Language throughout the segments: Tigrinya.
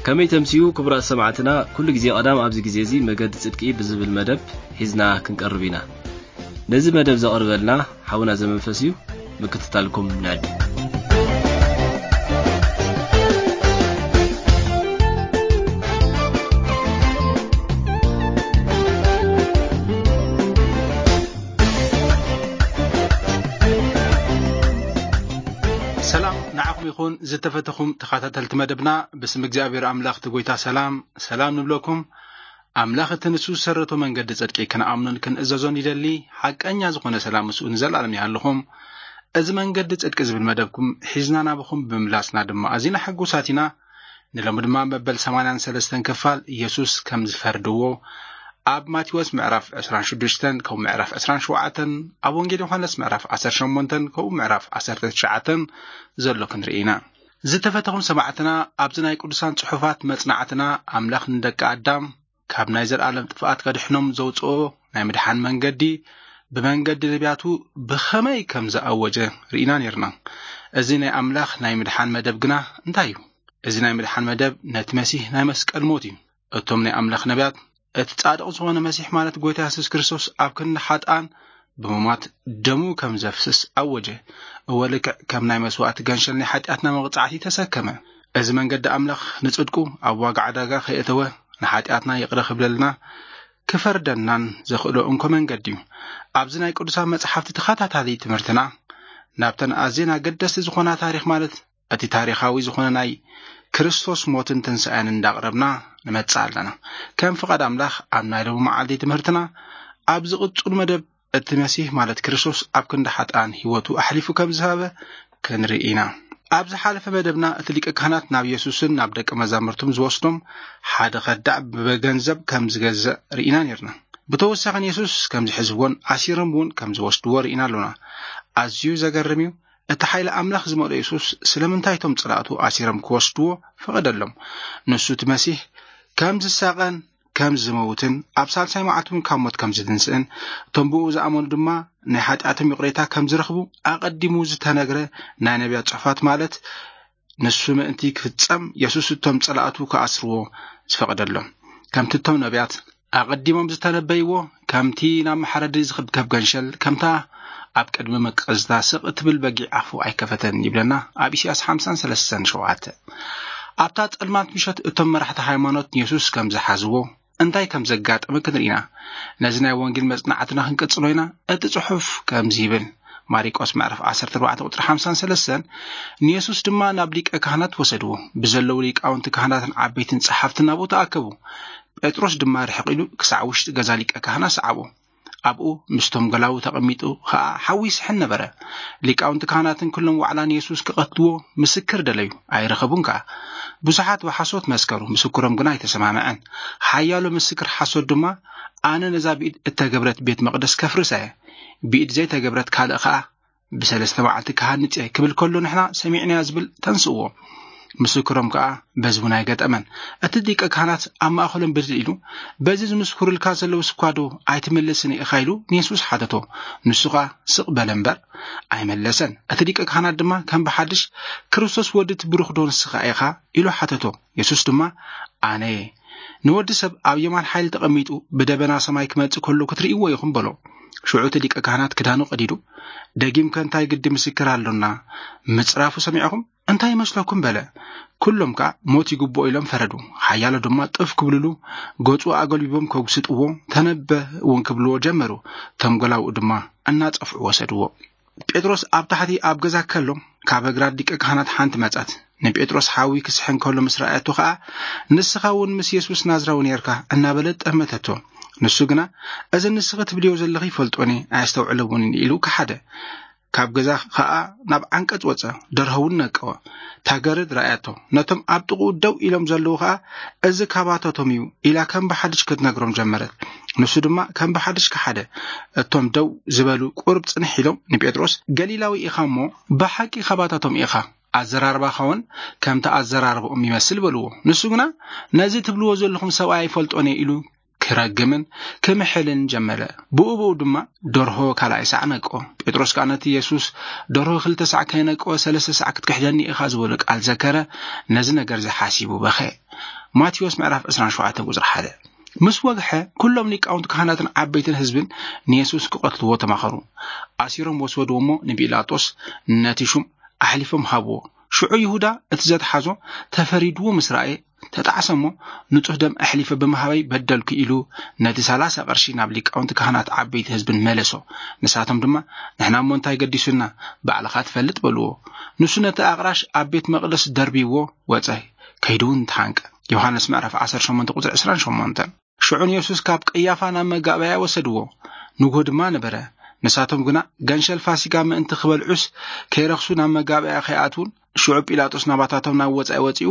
ከመይ ተምስዩ ክቡራት ሰማዕትና፣ ኩሉ ግዜ ቀዳም ኣብዚ ግዜ እዚ መገዲ ጽድቂ ብዝብል መደብ ሒዝና ክንቀርብ ኢና። ነዚ መደብ ዘቕርበልና ሓውና ዘመንፈስ እዩ። ምክትታልኩም ንዕድ። ሰላም ንዓኹም ይኹን ዝተፈተኹም ተኸታተልቲ መደብና። ብስም እግዚኣብሔር ኣምላኽ እቲ ጎይታ ሰላም ሰላም ንብለኩም። ኣምላኽ እቲ ንሱ ዝሰረቶ መንገዲ ጽድቂ ክንኣምኖን ክንእዘዞን ይደሊ። ሓቀኛ ዝኾነ ሰላም ምስኡ ንዘለኣለም ይሃልኹም። እዚ መንገዲ ጽድቂ ዝብል መደብኩም ሒዝና ናብኹም ብምምላስና ድማ ኣዚና ሕጉሳት ኢና። ንሎሚ ድማ መበል ሰማንያን ሰለስተን ክፋል ኢየሱስ ከም ዝፈርድዎ ኣብ ማቴዎስ ምዕራፍ ዕስራን ሽዱሽተን ከምኡ ምዕራፍ ዕስራን ሸውዓተን፣ ኣብ ወንጌል ዮሃንስ ምዕራፍ ዓሰርተ ሸሞንተን ከምኡ ምዕራፍ ዓሰርተ ትሽዓተን ዘሎ ክንርኢ ኢና። ዝተፈተኹም ሰማዕትና፣ ኣብዚ ናይ ቅዱሳን ጽሑፋት መጽናዕትና ኣምላኽ ንደቂ ኣዳም ካብ ናይ ዘለኣለም ጥፍኣት ከድሕኖም ዘውጽኦ ናይ ምድሓን መንገዲ ብመንገዲ ነቢያቱ ብኸመይ ከም ዝኣወጀ ርኢና ነይርና። እዚ ናይ ኣምላኽ ናይ ምድሓን መደብ ግና እንታይ እዩ? እዚ ናይ ምድሓን መደብ ነቲ መሲህ ናይ መስቀል ሞት እዩ። እቶም ናይ ኣምላኽ ነቢያት እቲ ጻድቕ ዝኾነ መሲሕ ማለት ጎይታ የሱስ ክርስቶስ ኣብ ክንዲ ሓጥኣን ብምማት ደሙ ከም ዘፍስስ ኣወጀ። እወ፣ ልክዕ ከም ናይ መስዋእቲ ገንሸል ናይ ሓጢኣትና መቕጻዕቲ ተሰከመ። እዚ መንገዲ ኣምላኽ ንጽድቁ ኣብ ዋጋ ዕዳጋ ከየእተወ ንሓጢኣትና ይቕረ ክብለልና ክፈርደናን ዘኽእሎ እንኮ መንገዲ እዩ። ኣብዚ ናይ ቅዱሳን መጽሓፍቲ ተኸታታሊ ትምህርትና ናብተን ኣዝየን ኣገደስቲ ዝኾና ታሪኽ ማለት እቲ ታሪኻዊ ዝኾነ ናይ ክርስቶስ ሞትን ትንሳኤን እንዳቕረብና ንመጽእ ኣለና። ከም ፍቓድ ኣምላኽ ኣብ ናይ ሎሚ መዓልቲ ትምህርትና ኣብ ዝቕጽሉ መደብ እቲ መሲህ ማለት ክርስቶስ ኣብ ክንዲ ሓጥኣን ህይወቱ ኣሕሊፉ ከም ዝሃበ ክንርኢ ኢና። ኣብ ዝሓለፈ መደብና እቲ ሊቀ ካህናት ናብ የሱስን ናብ ደቀ መዛሙርቱም ዝወስዶም ሓደ ከዳዕ ብገንዘብ ከም ዝገዝእ ርኢና ነይርና። ብተወሳኺ ንየሱስ ከም ዝሕዝዎን ኣሲሮም እውን ከም ዝወስድዎ ርኢና ኣሎና። ኣዝዩ ዘገርም እዩ። እቲ ሓይሊ ኣምላኽ ዝመልኦ የሱስ ስለምንታይ እቶም ጸላእቱ ኣሲሮም ክወስድዎ ፈቐደሎም? ንሱ እቲ መሲህ ከም ዝሳቐን ከም ዝመውትን ኣብ ሳልሳይ መዓልቲ እውን ካብ ሞት ከም ዝትንስእን እቶም ብኡ ዝኣመኑ ድማ ናይ ሓጢኣቶም ይቕሬታ ከም ዝረኽቡ ኣቐዲሙ ዝተነግረ ናይ ነቢያት ጽሑፋት ማለት ንሱ ምእንቲ ክፍጸም የሱስ እቶም ጸላእቱ ክኣስርዎ ዝፈቐደሎም። ከምቲ እቶም ነቢያት ኣቐዲሞም ዝተነበይዎ፣ ከምቲ ናብ መሓረዲ ዝኽብከብ ገንሸል፣ ከምታ ኣብ ቅድሚ መቀዝታ ስቕ እትብል በጊዕ ኣፉ ኣይከፈተን ይብለና ኣብ ኢሳያስ ሓምሳን ሰለስተን ሸውዓተ። ኣብታ ጸልማት ምሸት እቶም መራሕቲ ሃይማኖት ንየሱስ ከም ዝሓዝዎ እንታይ ከም ዘጋጠመ ክንርኢና ነዚ ናይ ወንጌል መጽናዕትና ክንቅጽሎ ኢና። እቲ ጽሑፍ ከምዚ ይብል፣ ማሪቆስ ምዕራፍ ዓሰርተ ኣርባዕተ ቁጽሪ ሓምሳን ሰለስተን፣ ንየሱስ ድማ ናብ ሊቀ ካህናት ወሰድዎ። ብዘለዉ ሊቃውንቲ ካህናትን ዓበይትን ጸሓፍትን ናብኡ ተኣከቡ። ጴጥሮስ ድማ ርሕቕ ኢሉ ክሳዕ ውሽጢ ገዛ ሊቀ ካህናት ሰዓቦ። ኣብኡ ምስቶም ገላዉ ተቐሚጡ ኸኣ ሓዊ ይስሕን ነበረ። ሊቃውንቲ ካህናትን ኩሎም ዋዕላ ንየሱስ ክቐትልዎ ምስክር ደለዩ፣ ኣይረኸቡን ከኣ። ብዙሓት ብሓሶት መስከሩ፣ ምስክሮም ግና ኣይተሰማምዐን። ሓያሎ ምስክር ሓሶት ድማ፣ ኣነ ነዛ ብኢድ እተገብረት ቤት መቕደስ ከፍርሳ እየ፣ ብኢድ ዘይተገብረት ካልእ ኸኣ ብሰለስተ መዓልቲ ክሃንጽ እየ ክብል ከሎ ንሕና ሰሚዕናዮ ዝብል ተንስእዎ። ምስክሮም ከኣ በዚ እውን ኣይገጠመን። እቲ ሊቀ ካህናት ኣብ ማእከሎም ብድድ ኢሉ፣ በዚ ዝምስክሩልካ ዘለውስ እኳ ዶ ኣይትምልስን ኢኻ ኢሉ ንየሱስ ሓተቶ። ንሱ ኸኣ ስቕ በለ እምበር ኣይመለሰን። እቲ ሊቀ ካህናት ድማ ከም ብሓድሽ፣ ክርስቶስ ወዲ እቲ ብሩኽ ዶ ንስኻ ኢኻ ኢሉ ሓተቶ። የሱስ ድማ ኣነ እየ። ንወዲ ሰብ ኣብ የማን ሓይሊ ተቐሚጡ ብደበና ሰማይ ክመጽእ ከሎ ክትርእይዎ ኢኹም በሎ። ሽዑ እቲ ሊቀ ካህናት ክዳኑ ቀዲዱ፣ ደጊምከ እንታይ ግዲ ምስክር ኣሎና? ምጽራፉ ሰሚዕኹም እንታይ ይመስለኩም በለ። ኩሎም ከኣ ሞት ይግብኦ ኢሎም ፈረዱ። ሓያሎ ድማ ጥፍ ክብልሉ ገጹ ኣገልቢቦም ከጉስጥዎ ተነበ እውን ክብልዎ ጀመሩ። ተምጎላውኡ ድማ እናጸፍዑ ወሰድዎ። ጴጥሮስ ኣብ ታሕቲ ኣብ ገዛ ከሎ ካብ እግራት ሊቀ ካህናት ሓንቲ መጻት። ንጴጥሮስ ሓዊ ክስሕን ከሎ ምስ ረኣየቶ ከኣ ንስኻ እውን ምስ የሱስ ናዝራዊ ነርካ እናበለት ጠመተቶ። ንሱ ግና እዚ ንስኺ ትብልዮ ዘለኺ ይፈልጦኒ ኣየስተውዕለውንን ኢሉ ከሓደ። ካብ ገዛ ከኣ ናብ ዓንቀጽ ወጸ፣ ደርሆ እውን ነቀወ። እታ ገረድ ረኣያቶ። ነቶም ኣብ ጥቕኡ ደው ኢሎም ዘለዉ ከኣ እዚ ካባታቶም እዩ ኢላ ከም ብሓድሽ ክትነግሮም ጀመረት። ንሱ ድማ ከም ብሓድሽ ከሓደ። እቶም ደው ዝበሉ ቁሩብ ጽንሕ ኢሎም ንጴጥሮስ ገሊላዊ ኢኻ እሞ ብሓቂ ካባታቶም ኢኻ፣ ኣዘራርባኻ እውን ከምቲ ኣዘራርባኦም ይመስል በልዎ። ንሱ ግና ነዚ ትብልዎ ዘለኹም ሰብኣይ ኣይፈልጦን እየ ኢሉ ክረግምን ክምሕልን ጀመረ። ብኡ ብኡ ድማ ደርሆ ካልኣይ ሳዕ ነቆ። ጴጥሮስ ከኣ ነቲ የሱስ፣ "ደርሆ ክልተ ሳዕ ከይነቆ ሰለስተ ሳዕ ክትክሕደኒ ኢኻ" ዝበሎ ቃል ዘከረ፣ ነዚ ነገር እዚ ሓሲቡ በኸ። ማቴዎስ ምዕራፍ ዕስራን ሸውዓተን ቁጽሪ ሓደ። ምስ ወግሐ፣ ኩሎም ሊቃውንቲ ካህናትን ዓበይትን ህዝብን ንየሱስ ክቐትልዎ ተማኸሩ። ኣሲሮም ወሰድዎ እሞ ንጲላጦስ ነቲ ሹም ኣሕሊፎም ሃብዎ። ሽዑ ይሁዳ እቲ ዘትሓዞ ተፈሪድዎ ምስ ረኣየ ተጣዕሰ እሞ፣ "ንጹህ ደም ኣሕሊፈ ብምሃበይ በደልኩ" ኢሉ ነቲ ሰላሳ ቅርሺ ናብ ሊቃውንቲ ካህናት ዓበይቲ ህዝብን መለሶ። ንሳቶም ድማ፣ "ንሕና እሞ እንታይ ገዲሱና? ባዕልኻ ትፈልጥ" በልዎ። ንሱ ነቲ ኣቕራሽ ኣብ ቤት መቕደስ ደርቢዎ ወጸ፣ ከይዱ እውን ተሓንቀ። ዮሃንስ ምዕራፍ ዓሰርተ ሸሞንተ ቁጽሪ ዕስራን ሸሞንተን። ሽዑ ንየሱስ ካብ ቀያፋ ናብ መጋበያ ወሰድዎ። ንግሆ ድማ ነበረ። ንሳቶም ግና፣ "ገንሸል ፋሲጋ ምእንቲ ክበልዑስ ከይረኽሱ ናብ መጋበያ ከይኣትዉን?" ሽዑ ጲላጦስ ናባታቶም ናብ ወጻኢ ወጺኡ፣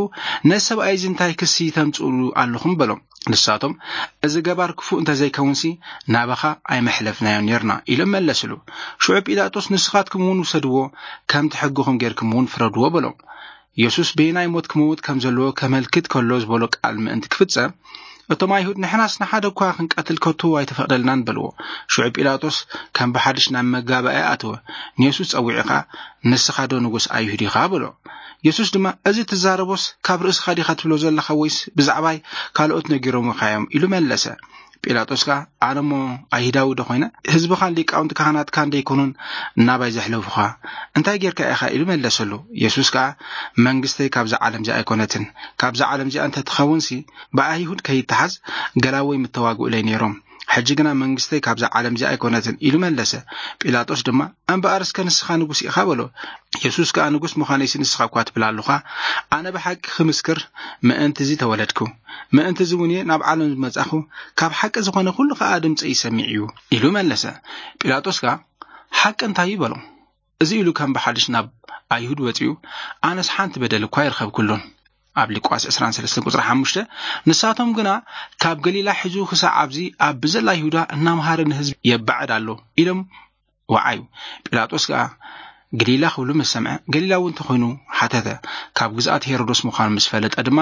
"ነዚ ሰብኣይ እዚ እንታይ ክሲ ተምጽኡሉ ኣለኹም?" በሎም። ንሳቶም፣ "እዚ ገባር ክፉእ እንተ ዘይከውንሲ ናባኻ ኣይመሕለፍናዮን ኔርና" ኢሎም መለስሉ። ሽዑ ጲላጦስ፣ "ንስኻትኩም እውን ውሰድዎ፣ ከምቲ ሕግኹም ጌርኩም እውን ፍረድዎ" በሎም። የሱስ በየናይ ሞት ክመውት ከም ዘለዎ ከመልክት ከሎ ዝበሎ ቃል ምእንቲ ክፍጸም፣ እቶም ኣይሁድ፣ "ንሕናስ ንሓደ እኳ ክንቀትል ከቶ ኣይተፈቕደልናን" በልዎ። ሽዑ ጲላጦስ ከም ብሓድሽ ናብ መጋባእያ ኣተወ። ንየሱስ ጸዊዑ ኸኣ፣ "ንስኻ ዶ ንጉስ ኣይሁድ ኢኻ?" በሎ። የሱስ ድማ፣ "እዚ ትዛረቦስ ካብ ርእስኻ ዲኻ ትብሎ ዘለኻ ወይስ ብዛዕባይ ካልኦት ነጊሮምኻ እዮም?" ኢሉ መለሰ። ጲላጦስ ከኣ፣ "ኣነ እሞ ኣይሁዳዊ ዶ ኾይነ? ህዝብኻን ሊቃውንቲ ካህናትካን ደይኮኑን ናባይ ዘሕለፉኻ? እንታይ ጌርካ ኢኻ?" ኢሉ መለሰሉ። የሱስ ከኣ፣ "መንግስተይ ካብዛ ዓለም እዚኣ ኣይኮነትን። ካብዛ ዓለም እዚኣ እንተ ትኸውንሲ፣ ብኣይሁድ ከይተሓዝ ገላወይ ምተዋግኡለይ ነይሮም። ሕጂ ግና መንግስተይ ካብዛ ዓለም እዚኣ ኣይኮነትን" ኢሉ መለሰ። ጲላጦስ ድማ፣ "እምበኣር እስከ ንስኻ ንጉስ ኢኻ" በሎ። የሱስ ከኣ፣ "ንጉስ ምዃነይሲ ንስኻ እኳ ትብል ኣሎኻ። ኣነ ብሓቂ ክምስክር ምእንቲ እዚ ተወለድኩ፣ ምእንቲ እዚ እውን እየ ናብ ዓለም ዝመጻኹ፣ ካብ ሓቂ ዝኾነ ኩሉ ከኣ ድምጸይ ይሰምዕ እዩ" ኢሉ መለሰ። ጲላጦስ ከኣ፣ "ሓቂ እንታይ እዩ?" በሎ። እዚ ኢሉ ከም ብሓድሽ ናብ ኣይሁድ ወጺኡ፣ "ኣነስ ሓንቲ በደል እኳ ኣይረኸብኩሉን" ኣብ ሉቃስ ዕስራን ሰለስተን ቁጽሪ ሓሙሽተ። ንሳቶም ግና፣ "ካብ ገሊላ ሒዙ ክሳዕ ኣብዚ ኣብ ብዘላ ይሁዳ እናምሃረ ንህዝቢ የባዕድ ኣሎ" ኢሎም ወዓዩ። ጲላጦስ ከኣ ገሊላ ክብሉ ምስ ሰምዐ፣ ገሊላዊ እንተኾይኑ ሓተተ። ካብ ግዝኣት ሄሮዶስ ምዃኑ ምስ ፈለጠ ድማ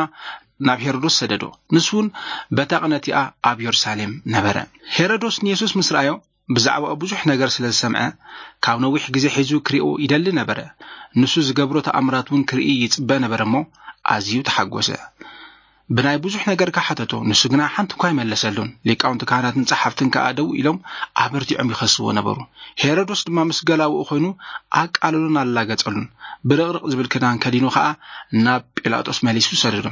ናብ ሄሮዶስ ሰደዶ። ንሱ እውን በታ ቅነ እቲኣ ኣብ የሩሳሌም ነበረ። ሄሮዶስ ንየሱስ ምስ ረኣዮ፣ ብዛዕባኡ ብዙሕ ነገር ስለ ዝሰምዐ፣ ካብ ነዊሕ ግዜ ሒዙ ክሪኦ ይደሊ ነበረ። ንሱ ዝገብሮ ተኣምራት እውን ክርኢ ይጽበ ነበረ እሞ፣ ኣዝዩ ተሓጎሰ። ብናይ ብዙሕ ነገር ከሓተቶ፣ ንሱ ግና ሓንቲ እኳ ኣይመለሰሉን። ሊቃውንቲ ካህናትን ጸሓፍትን ከኣ ደው ኢሎም ኣበርቲዖም ይኸስዎ ነበሩ። ሄሮዶስ ድማ ምስ ገላውኡ ኮይኑ ኣቃለሉን ኣላገጸሉን። ብርቕርቕ ዝብል ክዳን ከዲኑ ከኣ ናብ ጲላጦስ መሊሱ ሰደዶ።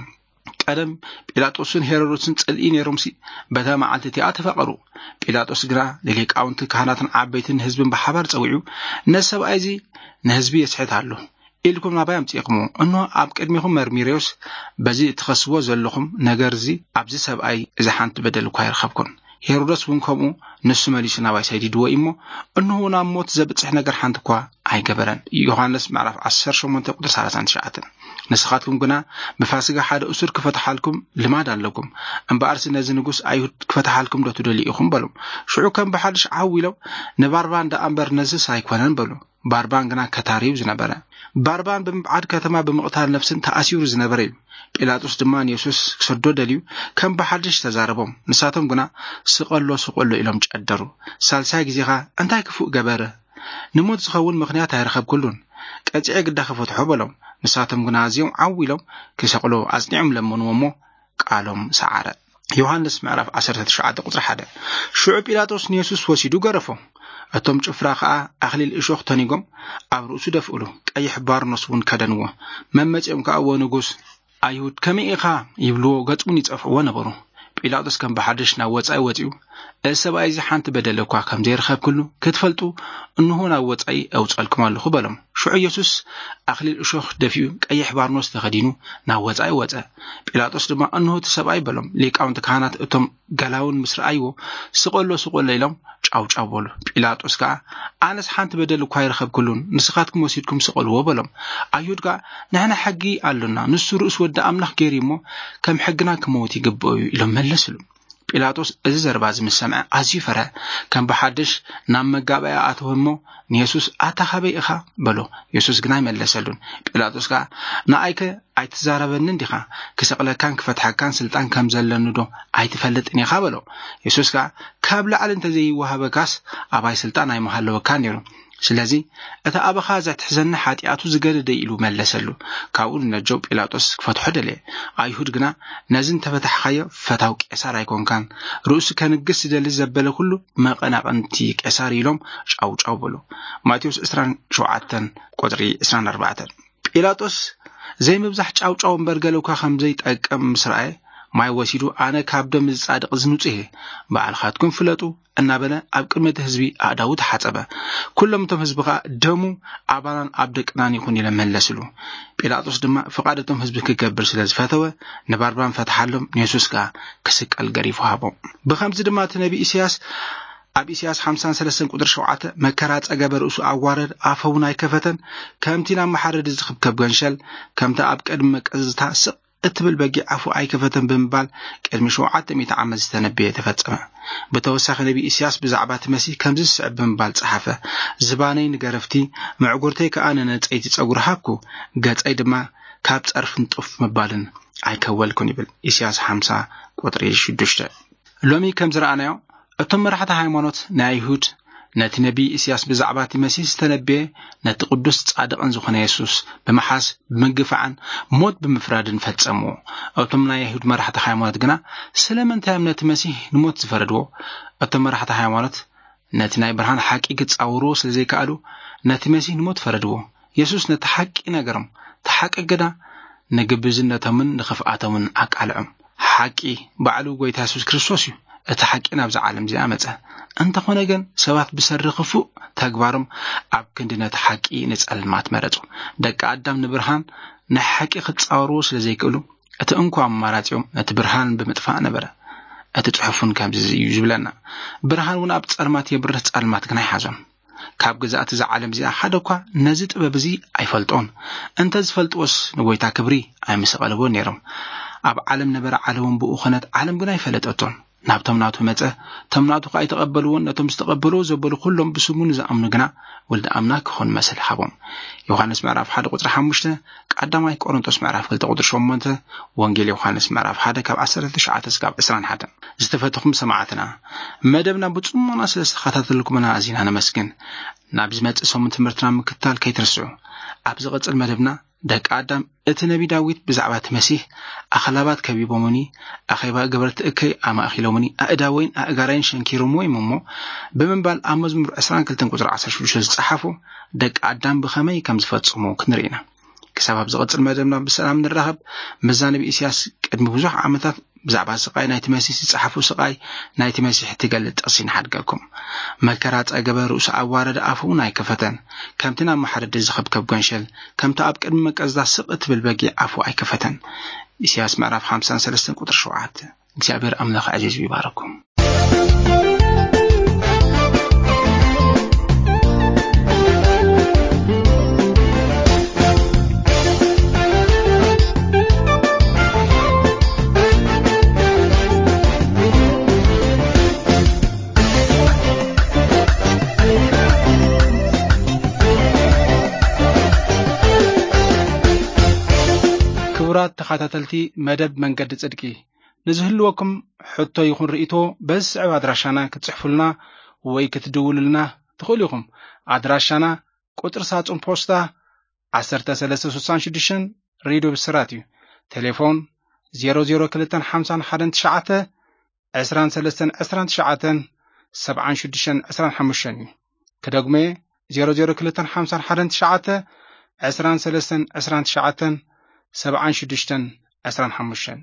ቀደም ጲላጦስን ሄሮዶስን ጽልኢ ነይሮምሲ፣ በታ መዓልቲ እቲኣ ተፋቐሩ። ጲላጦስ ግና ንሊቃውንቲ ካህናትን ዓበይትን ህዝብን ብሓባር ጸዊዑ፣ "ነዚ ሰብኣይ እዚ ንህዝቢ የስሕት ኣሎ። ኢልኩም ናባይ ኣምጺእኩሞ፣ እንሆ ኣብ ቅድሚኹም መርሚረዮስ፣ በዚ እትኸስዎ ዘለኹም ነገር እዚ፣ ኣብዚ ሰብኣይ እዚ ሓንቲ በደል እኳ ኣይረኸብኩን። ሄሮደስ እውን ከምኡ ንሱ መሊሱ ናባይ ሰዲድዎ እዩ እሞ፣ እንሆ ናብ ሞት ዘብጽሕ ነገር ሓንቲ እኳ ኣይገበረን።" ዮሃንስ ምዕራፍ ዓሰርተ ሸሞንተ ቁጽሪ ሰላሳን ትሽዓተን። "ንስኻትኩም ግና ብፋሲጋ ሓደ እሱር ክፈትሓልኩም ልማድ ኣለኩም። እምበኣርሲ ነዚ ንጉስ ኣይሁድ ክፈትሓልኩም ዶ ትደልዩ ኢኹም?" በሎም። ሽዑ ከም ብሓድሽ ዓው ኢሎም፣ "ንባርባን ደኣ እምበር ነዝስ ኣይኮነን" በሉ። ባርባን ግና ከታርዩ ዝነበረ። ባርባን ብምብዓድ ከተማ ብምቕታል ነፍስን ተኣሲሩ ዝነበረ እዩ። ጲላጦስ ድማ ንየሱስ ክሰዶ ደልዩ ከም ብሓድሽ ተዛረቦም። ንሳቶም ግና፣ "ስቐሎ፣ ስቐሎ" ኢሎም ጨደሩ። ሳልሳይ ግዜኻ እንታይ ክፉእ ገበረ? ንሞት ዝኸውን ምኽንያት ኣይረኸብኩሉን። ቀጺዐ ግዳ ክፈትሖ በሎም። ንሳቶም ግና ኣዝዮም ዓው ኢሎም ክሰቕሎ ኣጽኒዖም ለመንዎ እሞ ቃሎም ሰዓረ። ዮሃንስ ምዕራፍ ዓሰርተ ትሽዓተ ቁጽሪ ሓደ። ሽዑ ጲላጦስ ንየሱስ ወሲዱ ገረፎ። እቶም ጭፍራ ከኣ ኣኽሊል እሾኽ ተኒጎም ኣብ ርእሱ ደፍእሉ፣ ቀይሕ ባርኖስ እውን ከደንዎ። መመጺኦም ከኣ፣ "ወንጉስ ኣይሁድ ከመይ ኢኻ?" ይብልዎ፣ ገጹ እውን ይጸፍዕዎ ነበሩ። ጲላጦስ ከም ብሓድሽ ናብ ወጻኢ ወጺኡ፣ "እዚ ሰብኣይ እዚ ሓንቲ በደል እኳ ከም ዘይረኸብክሉ ክትፈልጡ፣ እንሆ ናብ ወጻኢ ኣውጸልኩም ኣለኹ" በሎም። ሽዑ ኢየሱስ ኣኽሊል እሾኽ ደፊኡ፣ ቀይሕ ባርኖስ ተኸዲኑ ናብ ወጻኢ ወጸ። ጲላጦስ ድማ፣ "እንሆ እቲ ሰብኣይ" በሎም። ሊቃውንቲ ካህናት እቶም ገላውን ምስ ረኣይዎ፣ "ስቐሎ፣ ስቐሎ" ኢሎም ጫው ጫው በሉ። ጲላጦስ ከኣ፣ "ኣነስ ሓንቲ በደል እኳ ኣይረኸብክሉን፣ ንስኻትኩም ወሲድኩም ስቐልዎ" በሎም። ኣይሁድ ከኣ፣ "ንሕና ሕጊ ኣሎና፣ ንሱ ርእሱ ወዲ ኣምላኽ ገይሩ እሞ፣ ከም ሕግና ክመውት ይግብኦ እዩ" ኢሎም መለስሉ። ጲላጦስ እዚ ዘረባ እዚ ምስ ሰምዐ ኣዝዩ ፈርሀ። ከም ብሓድሽ ናብ መጋባእያ ኣተወ እሞ ንየሱስ፣ "ኣታ ኻበይ ኢኻ?" በሎ። የሱስ ግና ኣይመለሰሉን። ጲላጦስ ከኣ፣ "ንኣይከ ኣይትዛረበንን ዲኻ? ክሰቕለካን ክፈትሐካን ስልጣን ከም ዘለኒ ዶ ኣይትፈልጥን ኢኻ?" በሎ። የሱስ ከኣ፣ "ካብ ላዕሊ እንተ ዘይወሃበካስ ኣባይ ስልጣን ኣይምሃለወካን ነይሩ። ስለዚ እቲ ኣባኻ ዘትሕዘኒ ሓጢኣቱ ዝገደደ" ኢሉ መለሰሉ። ካብኡ ንነጀው ጲላጦስ ክፈትሖ ደለየ። ኣይሁድ ግና፣ "ነዚ እንተፈታሕካዮ ፈታው ቄሳር ኣይኮንካን፣ ርእሱ ከንግስ ዝደሊ ዘበለ ኩሉ መቐናቕንቲ ቄሳር" ኢሎም ጫው ጫው በሉ። ማቴዎስ ዕስራን ሸውዓተን ቁጽሪ ዕስራን ኣርባዕተን። ጲላጦስ ዘይምብዛሕ ጫው ጫው እምበር ገለ እኳ ከም ዘይጠቅም ምስ ረኣየ፣ ማይ ወሲዱ፣ "ኣነ ካብ ደም ዝጻድቕ ዝንጹህ እየ፣ ባዕልኻትኩም ፍለጡ" እናበለ ኣብ ቅድሚ እቲ ህዝቢ ኣእዳዉ ተሓጸበ። ኩሎም እቶም ህዝቢ ከኣ፣ "ደሙ ኣባናን ኣብ ደቅናን ይኹን" ኢሎም መለስሉ። ጲላጦስ ድማ ፍቓድ እቶም ህዝቢ ክገብር ስለ ዝፈተወ፣ ንባርባን ፈትሓሎም፣ ንየሱስ ከኣ ክስቀል ገሪፉ ሃቦ። ብኸምዚ ድማ እቲ ነቢ ኢሳያስ ኣብ ኢሳያስ ሓምሳን ሰለስተን ቁጽሪ ሸውዓተ፣ "መከራ ጸገበ ርእሱ ኣዋረድ፣ ኣፈ እውን ኣይከፈተን፣ ከምቲ ናብ መሓረዲ ዝኽብከብ ገንሸል፣ ከምቲ ኣብ ቅድሚ መቀዝታ ስቕ እትብል በጊዕ ኣፉ ኣይከፈተን" ብምባል ቅድሚ ሸውዓተ ሚእቲ ዓመት ዝተነበየ ተፈጸመ። ብተወሳኺ ነቢ ኢሳያስ ብዛዕባ እቲ መሲህ ከምዚ ዝስዕብ ብምባል ጸሓፈ፣ "ዝባነይ ንገረፍቲ፣ ምዕጉርተይ ከኣ ንነጸይቲ ጸጉሪ ሃብኩ፣ ገጸይ ድማ ካብ ጸርፍን ጡፍ ምባልን ኣይከወልኩን" ይብል። ኢሳያስ ሓምሳ ቁጽሪ ሽዱሽተ። ሎሚ ከም ዝረኣናዮ፣ እቶም መራሕቲ ሃይማኖት ናይ ኣይሁድ ነቲ ነቢ ኢሳያስ ብዛዕባ እቲ መሲህ ዝተነበየ፣ ነቲ ቅዱስ ጻድቕን ዝኾነ የሱስ ብምሓዝ፣ ብምግፋዕን ሞት ብምፍራድን ፈጸምዎ። እቶም ናይ ኣይሁድ መራሕቲ ሃይማኖት ግና ስለምንታይ እዮም ነቲ መሲህ ንሞት ዝፈረድዎ? እቶም መራሕቲ ሃይማኖት ነቲ ናይ ብርሃን ሓቂ ክጻወርዎ ስለ ዘይከኣሉ፣ ነቲ መሲህ ንሞት ፈረድዎ። የሱስ ነቲ ሓቂ ነገሮም፣ እቲ ሓቂ ግና ንግብዝነቶምን ንኽፍኣቶምን ኣቃልዖም። ሓቂ ባዕሉ ጐይታ የሱስ ክርስቶስ እዩ፣ እቲ ሓቂ ናብዛ ዓለም እዚኣ መጸ። እንተኾነ ግን፣ ሰባት ብሰሪ ክፉእ ተግባሮም ኣብ ክንዲ ነቲ ሓቂ ንጸልማት መረጹ። ደቂ ኣዳም ንብርሃን ናይ ሓቂ ክጻወርዎ ስለ ዘይክእሉ፣ እቲ እንኮ ኣማራጺኦም ነቲ ብርሃን ብምጥፋእ ነበረ። እቲ ጽሑፍ እውን ከምዚ እዩ ዝብለና፣ "ብርሃን እውን ኣብ ጸልማት የብርህ፣ ጸልማት ግን ኣይሓዞን። ካብ ግዛእቲ እዛ ዓለም እዚኣ ሓደ እኳ ነዚ ጥበብ እዚ ኣይፈልጦን። እንተ ዝፈልጥዎስ ንጎይታ ክብሪ ኣይምሰቐልዎን ነይሮም። ኣብ ዓለም ነበረ፣ ዓለምን ብኡ ኾነት፣ ዓለም ግን ኣይፈለጠቶን። ናብቶም ናቱ መጸ፣ እቶም ናቱ ከኣ ኣይተቐበልዎን። ነቶም ዝተቐበልዎ ዘበሉ ኩሎም ብስሙ ንዝኣምኑ ግና ወልዲ ኣምላክ ክኾኑ መሰል ሃቦም።" ዮሃንስ ምዕራፍ ሓደ ቁጽሪ ሓሙሽተ፣ ቀዳማይ ቆሮንቶስ ምዕራፍ ክልተ ቁጽሪ ሸሞንተ፣ ወንጌል ዮሃንስ ምዕራፍ ሓደ ካብ ዓሰርተ ትሽዓተ እስካብ ዕስራን ሓደን። ዝተፈተኹም ሰማዕትና፣ መደብና ብጽሞና ስለ ዝተኸታተልኩምና ኣዚና ነመስግን። ናብ ዝመጽእ ሰሙን ትምህርትና ምክትታል ከይትርስዑ። ኣብ ዝቕጽል መደብና፣ ደቂ ኣዳም፣ እቲ ነቢ ዳዊት ብዛዕባ እቲ መሲህ፣ "ኣኽላባት ከቢቦሙኒ፣ ኣኼባ ገበርቲ እከይ ኣማእኪሎምኒ፣ ኣእዳወይን ኣእጋረይን ሸንኪሮምዎ እዮም እሞ" ብምባል ኣብ መዝሙር ዕስራን ክልተን ቁጽሪ ዓሰርተ ሽዱሽተ ዝጸሓፎ፣ ደቂ ኣዳም ብኸመይ ከም ዝፈጽሙ ክንርኢ ኢና። ክሳብ ኣብ ዝቕጽል መደብና ብሰላም ንራኸብ። መዛነቢ ኢሳያስ ቅድሚ ብዙሕ ዓመታት ብዛዕባ ስቓይ ናይቲ መሲህ ዝጸሓፎ፣ ስቓይ ናይቲ መሲሕ እትገልጽ ጥቕሲ ንሓድገኩም። "መከራ ጸገበ፣ ርእሱ ኣዋረደ፣ ኣፉ እውን ኣይከፈተን። ከምቲ ናብ መሓረዲ ዝኸብከብ ገንሸል፣ ከምቲ ኣብ ቅድሚ መቀዝታ ስቕ እትብል በጊዕ ኣፉ ኣይከፈተን።" ኢሳያስ ምዕራፍ ሓምሳን ሰለስተን ቁጽሪ ሸውዓተ። እግዚኣብሔር ኣምላኽ ኣዕዚዙ ይባርኩም። ክቡራት ተኸታተልቲ መደብ መንገዲ ጽድቂ፣ ንዝህልወኩም ሕቶ ይኹን ርእይቶ በዚ ዝስዕብ ኣድራሻና ክትጽሕፉልና ወይ ክትድውሉልና ትኽእሉ ኢኹም። ኣድራሻና ቁጽሪ ሳጹን ፖስታ ዓሰርተ ሰለስተ ስሳን ሽዱሽተን፣ ሬድዮ ብስራት እዩ። ቴሌፎን ዜሮ ዜሮ ክልተን ሓምሳን ሓደን ትሽዓተ፣ ዕስራን ሰለስተን ዕስራን ትሽዓተን፣ ሰብዓን ሽዱሽተን ዕስራን ሓሙሽተን እዩ። ክደግመ፣ ዜሮ ዜሮ ክልተን ሓምሳን ሓደን ትሽዓተ፣ ዕስራን ሰለስተን ዕስራን ትሽዓተን፣ ሰብዓን ሽዱሽተን ዕስራን ሓሙሽተን።